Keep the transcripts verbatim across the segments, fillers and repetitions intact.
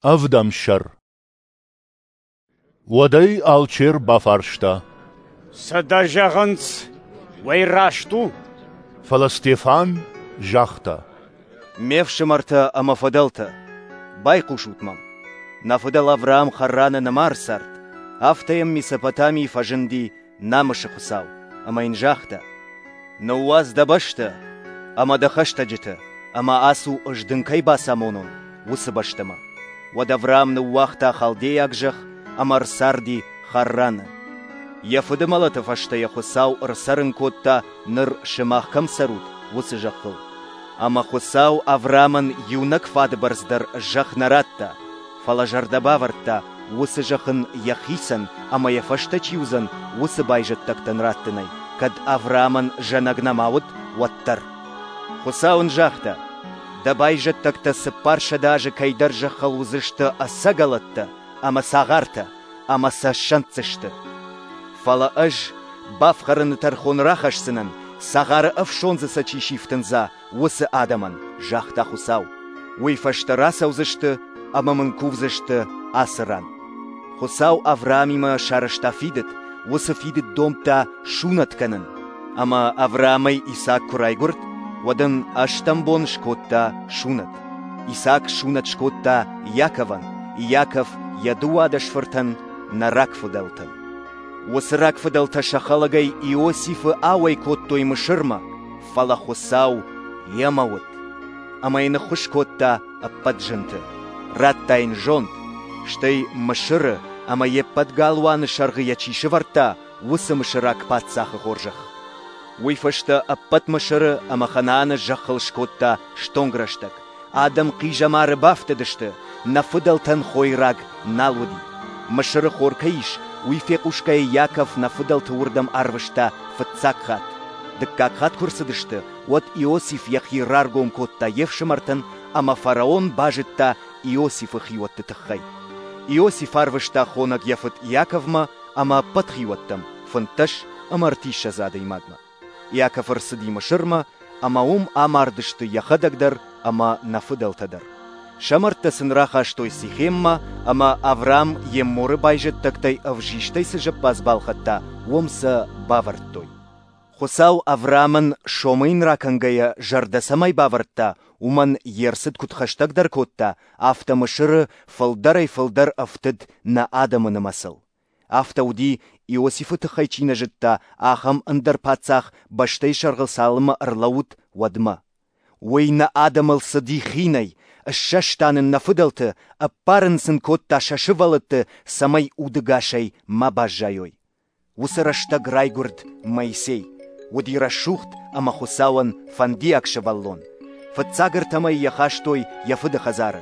Ӕвдӕм сӕр. Уӕд ӕй алчер бафарста: Цы дӕ зӕгъынц, уый раст у? Фӕлӕ Стефан загъта: Ме фсымӕртӕ ӕмӕ фыдӕлтӕ, байхъусут мӕм. Нӕ фыдӕл Авраам Харраны нӕма ӕрцард, афтӕ йӕм Месопотамийы фӕзынди намысы Хуыцау ӕмӕ йын загъта: Ныууадз дӕ бӕстӕ ӕмӕ дӕ хӕстӕджытӕ ӕмӕ ацу, ӕз дын кӕй бацамонон, уыцы бӕстӕмӕ. Уӕд Авраам ныууагъта халдейаг зӕхх ӕмӕ ӕрцарди Харраны. Йӕ фыды мӕлӕты фӕстӕ йӕ Хуыцау ӕрцӕрын кодта, ныр сымах кӕм цӕрут, уыцы зӕххыл. Ӕмӕ Хуыцау Авраамӕн иунӕг фады бӕрц дӕр зӕхх нӕ радта, фӕлӕ зӕрдӕ бавӕрдта, уыцы зӕхх ын йӕхицӕн ӕмӕ йӕ фӕстӕ чи уыдзӕн, уыцы байзӕддӕгтӕн раттынӕй, кӕд Авраамӕн зӕнӕг нӕма уыд, уӕддӕр. Хуыцау ын загъта: Дӕ байзӕддӕгтӕ цыппар сӕдӕ азы кӕйдӕр зӕххыл уыдзысты ӕцӕгӕлӕттӕ ӕмӕ цагъартӕ, ӕмӕ сӕ ссӕнддзысты. Фӕлӕ ӕз бафхӕрыны тӕрхон рахӕсдзынӕн, цагъары ӕфсондзы сӕ чи сифтындза, уыцы адӕмӕн, загъта Хуыцау. Уый фӕстӕ рацӕудзысты ӕмӕ мын кувдзысты ацы ран. Хуыцау Авраамимӕ сарӕзта фидыд, уыцы фидыд домдта сунӕт кӕнын. Ӕмӕ Авраамӕй Исаак куы райгуырд, уӕд ын ӕстӕм бон скодта сунӕт. Исаак сунӕт скодта Иаковӕн, Иаков йӕ дыууадӕс фыртӕн, нӕ рагфыдӕлтӕн. Уыцы рагфыдӕлтӕ сӕ хӕлӕгӕй Иосифы ауӕй кодтой Мысырмӕ, фӕлӕ Хуыцау йемӕ уыд. Ӕмӕ йын ӕххуыс кодта ӕппӕт зынты. Радта йын зонд, стӕй Мысыры ӕмӕ йе ппӕт галуаны сӕргъы йӕ чи сӕвӕрдта, уыцы мысыраг паддзахы хорзӕх. Уый фӕстӕ ӕппӕт Мысыры ӕмӕ Ханааны зӕххыл скодта стонг рӕстӕг. Адӕм хъизӕмары бафтыдысты, нӕ фыдӕлтӕн хойраг нал уыди. Мысыры хор кӕй ис, уый фехъусгӕйӕ Иаков нӕ фыдӕлты уырдӕм арвыста фыццаг хатт. Дыккаг хатт куы рцыдысты, уӕд Иосиф йӕхи раргом кодта йе фсымӕртӕн, ӕмӕ фараон базыдта Иосифы хиуӕтты тыххӕй. Иосиф арвыста хонӕг йӕ фыд Иаковмӕ ӕмӕ ӕппӕт хиуӕттӕм, фынддӕс ӕмӕ ӕртиссӕдз адӕймагмӕ. Иаков ӕрцыди Мысырмӕ, ӕмӕ уым амардысты йӕхӕдӕг дӕр ӕмӕ нӕ фыдӕлтӕ дӕр. Сӕ мӕрдтӕ сын рахастой Сихеммӕ, ӕмӕ Авраам Емморы байзӕддӕгтӕй ӕвзистӕй цы зӕппадз балхӕдта, уым сӕ бавӕрдтой. Хуыцау Авраамӕн сомы йын ракӕнгӕйӕ зӕрдӕ цӕмӕй бавӕрдта, уымӕн йе рцыд куыд хӕстӕгдӕр кодта, афтӕ Мысыры фылдӕрӕй-фылдӕр ӕфтыд нӕ адӕмы нымӕцыл. Афтӕ уыди, Иосифы тыххӕй чи нӕ зыдта, ахӕм ӕндӕр паддзах бӕстӕйы сӕргъыл цалынмӕ ӕрлӕууыд, уӕдмӕ. Уый нӕ адӕмыл цыди хинӕй, ссӕста нын нӕ фыдӕлты, ӕппарын сын кодта сӕ сывӕллӕтты, цӕмӕй удӕгасӕй ма баззайой. Уыцы рӕстӕг райгуырд Моисей. Уыди рӕсугъд ӕмӕ Хуыцауӕн фӕндиаг сывӕллон. Фыццаг ӕртӕмӕй йӕ хастой йӕ фыды хӕдзары.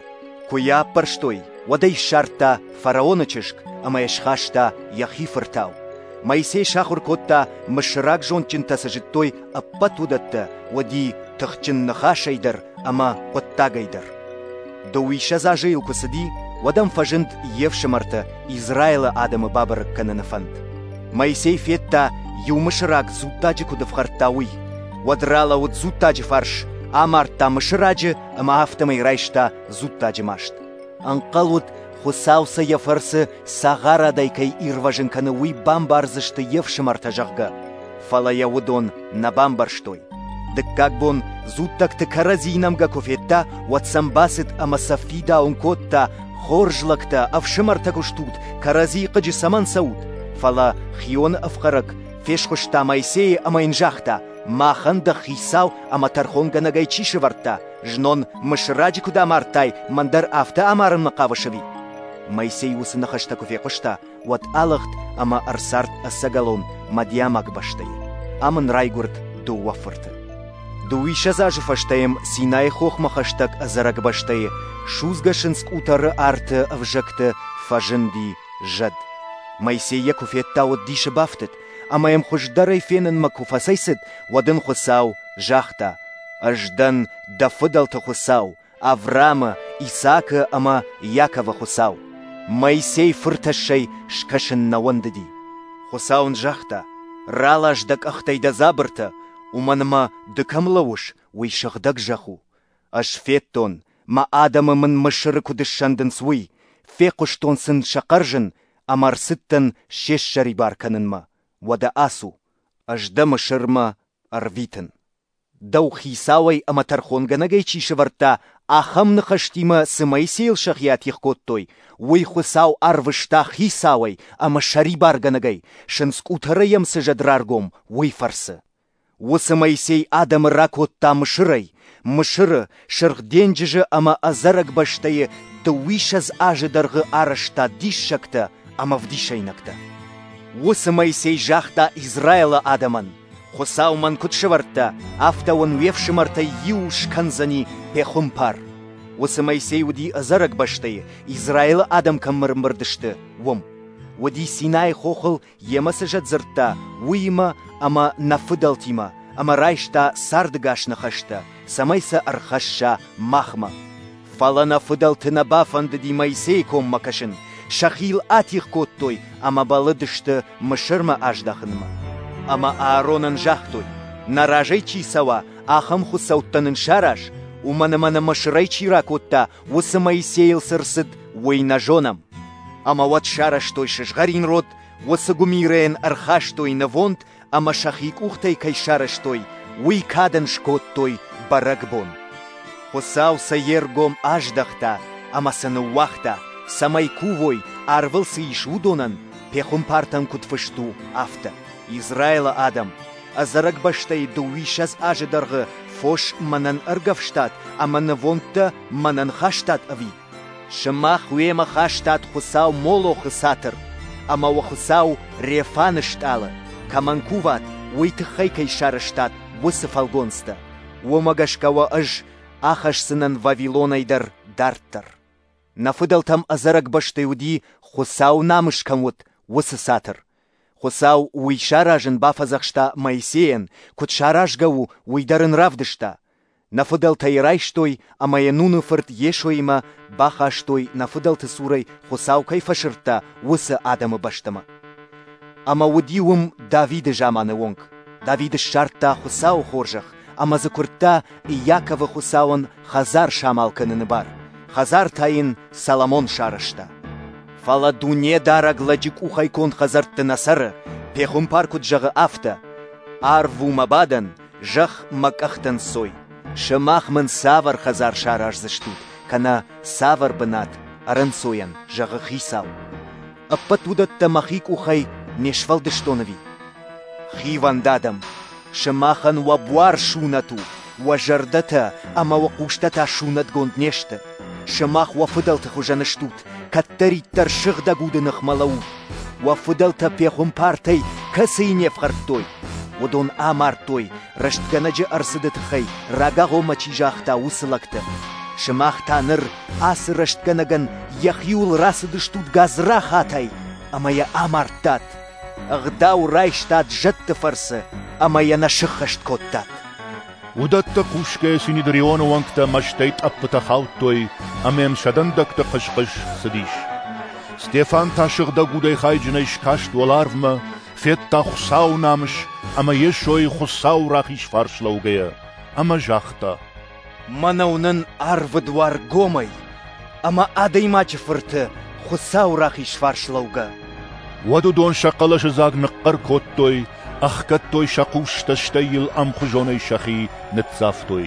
Куы йӕ аппӕрстой, уӕд ӕй ссардта фараоны чызг ӕмӕ йӕ схаста йӕхи фыртау. Моисей сахуыр кодта, мысыраг зондджынтӕ цы зыдтой, ӕппӕт уыдӕттӕ, уыди тыхджын ныхасӕй дӕр ӕмӕ хъуыддагӕй дӕр. Дыууиссӕдз азы йыл куы цыди, уӕд ӕм фӕзынд йе фсымӕртӕ Израилы адӕмы бабӕрӕг кӕныны фӕнд. Моисей федта, иу мысыраг дзуттаджы куыд ӕфхӕрдта, уый. Уӕд ралӕууыд дзуттаджы фарс, амардта мысыраджы ӕмӕ афтӕмӕй райста дзуттаджы маст. Ӕнхъӕл уыд, Хуыцау сӕ йӕ фӕрцы цагъарадӕй кӕй ирвӕзын кӕны, уый бамбардзысты йе фсымӕртӕ, зӕгъгӕ. Фӕлӕ йӕ уыдон нӕ бамбӕрстой. Дыккаг бон дзуттӕгты кӕрӕдзийы нӕмгӕ куы федта, уӕд сӕм бацыд ӕмӕ сӕ фидауын кодта: хорз лӕгтӕ, ӕфсымӕртӕ куы стут, кӕрӕдзийы хъыджы цӕмӕн цӕут? Фӕлӕ хионы ӕфхӕрӕг фесхуыста Моисейы ӕмӕ йын загъта: махӕн дӕ хицау ӕмӕ тӕрхонгӕнӕгӕй чи сӕвӕрдта? Знон мысыраджы куыд амардтай, мӕн дӕр афтӕ амарынмӕ хъавыс ӕви? Моисей уыцы ныхӕстӕ куы фехъуыста, уӕд алыгъд ӕмӕ ӕрцард ӕцӕгӕлон Мадиамаг бӕстӕйы. Ам ын райгуырд дыууӕ фырты. Дыууиссӕдз азы фӕстӕ йӕм Синайы хохмӕ хӕстӕг ӕдзӕрӕг бӕстӕйы судзгӕ сындз къутӕры арты ӕвзӕгты фӕзынди зӕд. Моисей йӕ куы федта, уӕд дисы бафтыд, ӕмӕ йӕм хуыздӕрӕй фенынмӕ куы фӕцӕйцыд, уӕд ын Хуыцау загъта: Ӕз дӕн дӕ фыдӕлты Хуыцау, Авраамы, Исаакы ӕмӕ Иаковы Хуыцау. Моисей фыртӕссӕй скӕсын нӕ уӕндыди. Хуыцау ын загъта: ралас дӕ къӕхтӕй дӕ дзабыртӕ, уымӕн ӕмӕ ды кӕм лӕууыс, уый сыгъдӕг зӕхх у. Ӕз федтон, Мӕ адӕмы Мын Мысыры куыд ссӕндынц, уый, фехъуыстон сын сӕ хъӕрзын ӕмӕ ӕрцыдтӕн се ссӕрибар кӕнынмӕ. Уӕдӕ ацу, Ӕз дӕ Мысырмӕ ӕрвитын. Дӕу хицауӕй ӕмӕ тӕрхонгӕнӕгӕй чи сӕвӕрдта, ахӕм ныхӕстимӕ цы Моисейыл сӕхи атигъ кодтой, уый Хуыцау арвыста хицауӕй ӕмӕ сӕрибаргӕнӕгӕй, сындзкъутӕрӕй йӕм цы зӕд раргом, уый фӕрцы. Уыцы Моисей адӕмы ракодта Мысырӕй, Мысыры, Сырх денджызы ӕмӕ ӕдзӕрӕг бӕстӕйы дыууиссӕдз азы дӕргъы арӕзта диссӕгтӕ ӕмӕ ӕвдисӕйнӕгтӕ. Уыцы Моисей загъта Израилы адӕмӕн: Хуыцау мӕн куыд сӕвӕрдта, афтӕ уын уе фсымӕртӕй иу скӕндзӕни пехуымпар. Уыцы Моисей уыди ӕдзӕрӕг бӕстӕйы, Израилы адӕм кӕм ӕрӕмбырд сты, уым. Уыди Синайы хохыл, йемӕ цы зӕд дзырдта, уыимӕ ӕмӕ нӕ фыдӕлтимӕ, ӕмӕ райста цардӕгас ныхӕстӕ, цӕмӕй сӕ ӕрхӕсса махмӕ. Фӕлӕ нӕ фыдӕлты нӕ бафӕндыди Моисейы коммӕ кӕсын, сӕхи йыл атигъ кодтой ӕмӕ бӕллыдысты Мысырмӕ аздӕхынмӕ. Ӕмӕ Ааронӕн загътой: нӕ разӕй чи цӕуа, ахӕм хуыцӕуттӕ нын сараз, уымӕн ӕмӕ нӕ Мысырӕй чи ракодта, уыцы Моисейыл цы рцыд, уый нӕ зонӕм. Ӕмӕ уӕд сарӕзтой сызгъӕрин род, уыцы гуымирӕйӕн ӕрхастой нывонд ӕмӕ сӕхи къухтӕй кӕй сарӕзтой, уый кадӕн скодтой бӕрӕгбон. Хуыцау сӕ йе ргом аздӕхта ӕмӕ сӕ ныууагъта, цӕмӕй кувой, арвыл цы ис, уыдонӕн, пехуымпартӕн куыд фыст у, афтӕ. Израилы адӕм, ӕдзӕрӕг бӕстӕйы дыууиссӕдз азы дӕргъы фос мӕнӕн ӕргӕвстат ӕмӕ нывондтӕ мӕнӕн хастат ӕви? Сымах уемӕ хастат хуыцау Молохы цатыр ӕмӕ уӕ хуыцау Рефаны стъалы, кӕмӕн куват, уый тыххӕй кӕй сарӕзтат, уыцы фӕлгонцтӕ. Уымӕ гӕсгӕ уӕ ӕз ахӕсдзынӕн Вавилонӕй дӕр дарддӕр. Нӕ фыдӕлтӕм ӕдзӕрӕг бӕстӕйы уыди, Хуыцауы намыс кӕм уыд, уыцы цатыр. Хуыцау уый саразын бафӕдзӕхста Моисейӕн, куыд саразгӕ у, уый дӕр ын равдыста. Нӕ фыдӕлтӕ йӕ райстой ӕмӕ йӕ Нуны фырт Йесоимӕ бахастой, нӕ фыдӕлты цурӕй Хуыцау кӕй фӕсырдта, уыцы адӕмы бӕстӕмӕ. Ӕмӕ уыди уым Давиды заманы онг. Давид ссардта Хуыцауы хорзӕх ӕмӕ дзы куырдта Иаковы Хуыцауӕн хӕдзар самал кӕныны бар. Хӕдзар та йын Соломон сарӕзта. Фӕлӕ Дунедарӕг лӕджы къухӕй конд хӕдзӕртты нӕ цӕры, пехуымпар куыд зӕгъы, афтӕ: Арв у мӕ бадӕн, зӕхх мӕ къӕхтӕн сой. Сымах мын цавӕр хӕдзар сараздзыстут, кӕнӕ цавӕр бынат ӕрӕнцойӕн, зӕгъы Хицау. Ӕппӕт уыдӕттӕ мӕхи къухӕй не сфӕлдыстон ӕви? Хивӕнд адӕм, сымахӕн уӕ буар сунӕт у, уӕ зӕрдӕтӕ ӕмӕ уӕ хъустӕ та сунӕтгонд не сты. Сымах уӕ фыдӕлты хуызӕн стут, кӕддӕриддӕр сыгъдӕг уды ныхмӕ лӕуут. Уӕ фыдӕлтӕ пехуымпартӕй кӕцыйы не фхӕрдтой, уыдон амардтой, рӕстгӕнӕджы ӕрцыды тыххӕй рагагъоммӕ чи загъта, уыцы лӕгты. Сымах та ныр ацы рӕстгӕнӕгӕн йӕхиуыл рацыдыстут гадзрахатӕй ӕмӕ йӕ амардтат. Ӕгъдау райстат зӕдты фӕрцы ӕмӕ йӕ нӕ сыххӕст кодтат. Уыдӕттӕ хъусгӕйӕ Синедрионы уӕнгтӕ мӕстӕй тъӕппытӕ хаудтой ӕмӕ йӕм сӕ дӕндӕгты хъыс-хъыс цыдис. Стефан та сыгъдӕг удӕй хайджынӕй скаст уӕларвмӕ, федта Хуыцауы намыс ӕмӕ Йесойы Хуыцауы рахиз фарс лӕугӕйӕ, ӕмӕ загъта: Мӕнӕ уынын арвы дуар гомӕй ӕмӕ Адӕймаджы Фырты Хуыцауы рахиз фарс лӕугӕ. Уӕд уыдон сӕ хъӕлӕсыдзаг ныхъхъӕр кодтой, ӕхгӕдтой сӕ хъустӕ, стӕй йыл ӕмхуызонӕй сӕхи ныццавтой.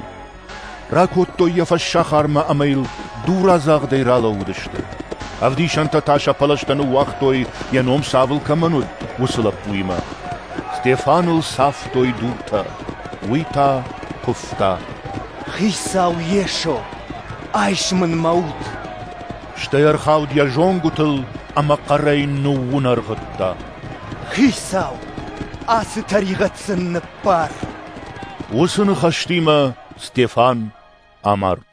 Ракодтой йӕ фӕссахармӕ ӕмӕ йыл дурадзагъдӕй ралӕууыдысты. Ӕвдисӕнтӕ та сӕ пӕлӕзтӕ ныууагътой, йӕ ном Савл кӕмӕн уыд, уыцы лӕппуимӕ. Стефаныл цавтой дуртӕ, уый та куывта: Хицау Йесо, айс мын мӕ уд! Стӕй ӕрхауд йӕ зонгуытыл ӕмӕ хъӕрӕй ныууынӕргъыдта: Хицау, ацы тӕригъӕд сын ныббар! Уыцы ныхӕстимӕ Стефан амард.